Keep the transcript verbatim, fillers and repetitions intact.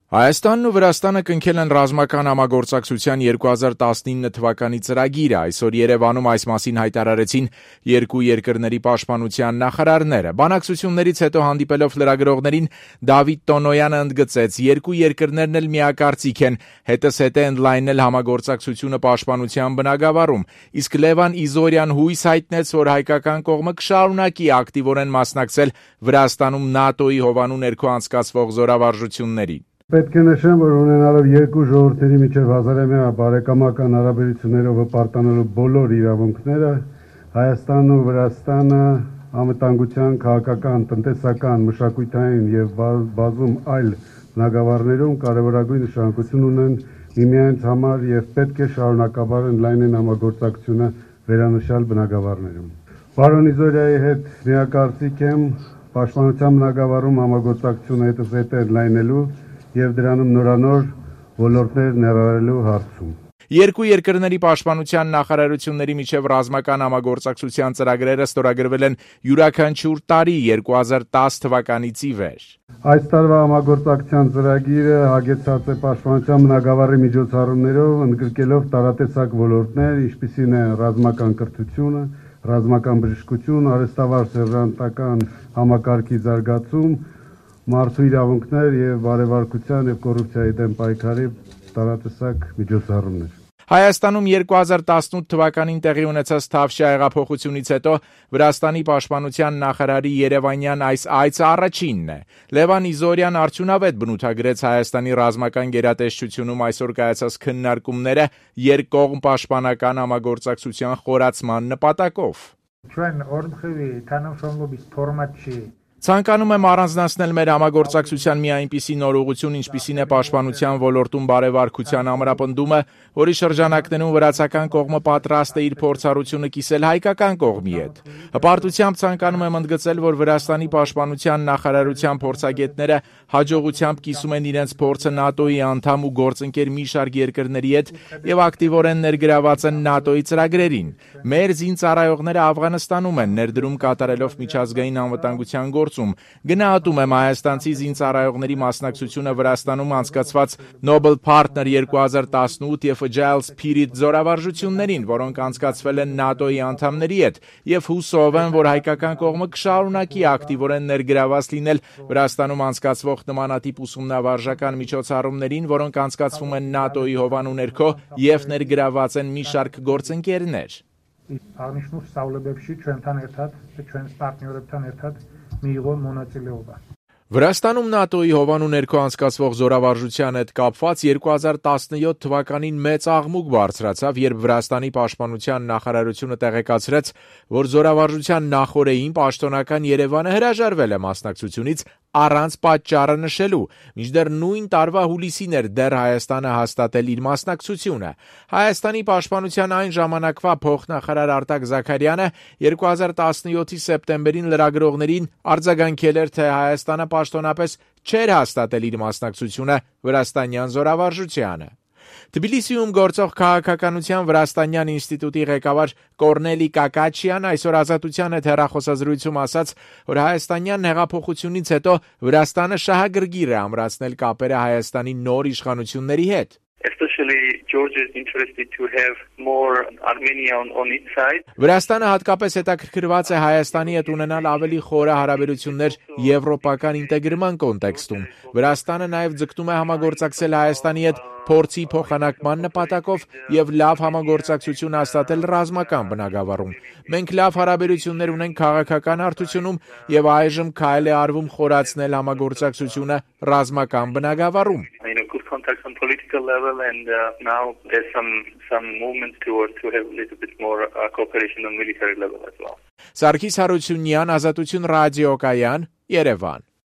Հայաստանն ու Վրաստանը կնքել են ռազմական համագործակցության երկու հազար տասնինը թվականի ծրագիրը։ Այսօր Երևանում այս մասին հայտարարեցին երկու երկրների պաշտպանության նախարարները։ Բանակցություններից հետո հանդիպելով լրագրողներին Դավիթ Տոնոյանը ընդգծեց, երկու երկրներն էլ միակարծիք են, հետզհետե ընդլայնել համագործակցությունը պաշտպանության բնագավառում։ Իսկ Լևան Իզորյան հույս հայտնեց, որ հայկական կողմը կշարունակի ակտիվորեն մասնակցել Վրաստանում ՆԱՏՕ-ի հովանու ներքո անցկացվող զորավարժություններին։ Պետք է նշեմ, որ ունենալով երկու ժողովրդերի միջև հազարամյա բարեկամական հարաբերություններով հպարտանելու բոլոր իրավունքները, Հայաստանն ու Վրաստանը անվտանգության, քաղաքական, տնտեսական, մշակութային եւ բազում այլ բնագավառներում կարևորագույն նշանակություն ունեն միմյանց համար եւ պետք է շարունակաբար ընդլայնեն համագործակցությունը վերանշյալ բնագավառներում։ Պարոն Իզորյայի հետ միակարծիք եմ պաշտպանության բնագավառում համագործակցությունը հետզհետե ընդլայնելու եւ դրանում նորանոր ոլորտներ ներառելու հարցում։ Երկու երկրների պաշտպանության նախարարությունների միջև ռազմական համագործակցության ծրագրերը ստորագրվել են յուրաքանչյուր տարի երկու հազար տասը թվականից ի վեր։ Այս տարվա համագործակցության ծրագիրը հագեցած է պաշտպանության բնագավառի միջոցառումներով, ընդգրկելով տարատեսակ ոլորտներ, ինչպիսին է ռազմական կրթությունը, ռազմական բժշկություն, արհեստավար սերժանտական համակարգի զարգացում, մարդու իրավունքներ եւ բարեվարկության եւ կոռուպցիայի դեմ պայքարի տարատեսակ միջոցառումներ։ Հայաստանում երկու հազար տասնութ թվականին տեղի ունեցած Թավշյա հեղափոխությունից հետո Վրաստանի պաշտպանության նախարարի երևանյան այս այցը առաջինն է։ Լևան Իզորյան արդյունավետ բնութագրեց Հայաստանի ռազմական գերատեսչությունում այսօր կայացած քննարկումները երկկողմ պաշտպանական համագործակցության խորացման նպատակով։ Ჩვენ ორმხრივი თანამშრომლობის ფორმატში Ցանկանում եմ առանձնացնել մեր համագործակցության մի այնպիսի նոր ուղղություն, ինչպիսին է պաշտպանության ոլորտում բարեվարկության ամրապնդումը, որի շրջանակներում վրացական կողմը պատրաստ է իր փորձառությունը կիսել հայկական կողմի հետ։ Հպարտությամբ ցանկանում եմ ընդգծել, որ Վրաստանի պաշտպանության նախարարության փորձագետները հաջողությամբ կիսում են իրենց փորձը ՆԱՏՕ-ի անդամ ու գործընկեր մի շարք երկրների հետ եւ ակտիվորեն ներգրաված են ՆԱՏՕ-ի ծրագրերին։ Մեր զինծառայողները Աֆղանստանում են ներդրում կատարելով միջազգային անվտանգության գործում։ Գնահատում եմ հայաստանցի զինծառայողների մասնակցությունը Վրաստանում անցկացված Nobel Partner երկու հազար տասնութ եւ Agile Spirit զորավարժություններին, որոնք անցկացվել են ՆԱՏՕ-ի անդամների հետ, եւ հուսով եմ, որ հայկական կողմը կշարունակի ակտիվորեն ներգրաված լինել Վրաստանում անցկացվող նմանատիպ ուսումնավարժական միջոցառումներին, որոնք անցկացվում են ՆԱՏՕ-ի հովանու ներքո եւ ներգրաված են մի շարք գործընկերներ։ Აღნიშნულ სწავლებებში ჩვენთან ერთად და ჩვენს პარტნიორებთან ერთად მიიღო მონაწილეობა։ Վրաստանում ՆԱՏՕ-ի հովանու ներքո անցկացվող զորավարժության հետ կապված երկու հազար տասնյոթ թվականին մեծ աղմուկ բարձրացավ, երբ Վրաստանի պաշտպանության նախարարությունը տեղեկացրեց, որ զորավարժության նախօրեին պաշտոնական Երևանը հրաժարվել է մասնակցությունից առանց պատճառը նշելու, մինչդեռ նույն տարվա հուլիսին էր դեռ Հայաստանը հաստատել իր մասնակցությունը։ Հայաստանի պաշտպանության այն ժամանակվա փոխնախարար Արտակ Զաքարյանը երկու հազար տասնյոթի սեպտեմբերին լրագրողներին արձագանքել էր, թե Հայաստանը պաշտոնապես չէր հաստատել իր մասնակցությունը վրաստանյան զորավարժությանը։ Թբիլիսիում գործող քաղաքականության Վրաստանյան ինստիտուտի ղեկավար Կորնելի Կակաչյան այսօր Ազատության հետ հեռախոսազրույցում ասաց, որ հայաստանյան հեղափոխությունից հետո Վրաստանը շահագրգիռ է ամրացնել կապերը Հայաստանի նոր իշխանությունների հետ։ Especially Georgia is interested to have more Armenia on, on its side. Վրաստանը հատկապես հետաքրքրված է Հայաստանի հետ ունենալ ավելի խորը հարաբերություններ եվրոպական ինտեգրման կոնտեքստում։ Վրաստանը նաև ձգտում է համագործակցել Հայաստանի հետ փորձի փոխանակման նպատակով եւ լավ համագործակցություն հաստատել ռազմական բնագավառում։ Մենք լավ հարաբերություններ ունենք քաղաքական հարթությունում եւ այժմ քայլ է արվում խորացնել համագործակցությունը ռազմական բնագավառում։ Contacts on political level and uh, now there's some some movements towards to have a little bit more uh, cooperation on military level as well. Սարգիս Հարությունյան, Ազատություն ռադիոկայան, Երևան։